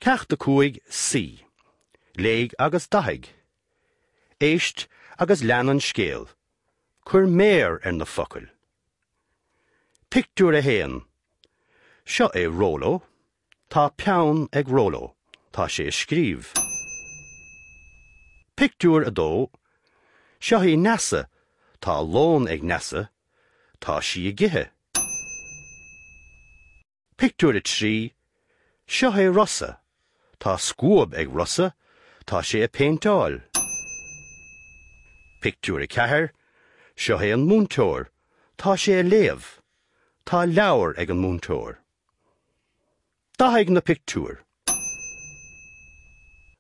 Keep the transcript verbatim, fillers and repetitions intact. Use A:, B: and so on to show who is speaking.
A: Ceacht a cúig C. Léigh agus dathaigh. Éist agus lean an scéal. Cuir méar ar na focail. Pictiúr a haon. Seo é Róló. Tá peann ag Róló. Tá sé ag scríobh. Pictiúr a dó. Seo í Neasa. Tá lón ag Neasa. Tá sí ag ithe. Pictiúr a trí. Seo é Rossa. Tá scuab ag Rossa. Tá sé ag péinteáil. Pictiúr a ceathair. Seo é an múinteoir. Tá sé ag léamh. Tá leabhar ag an múinteoir. Dathaigh na pictiúir.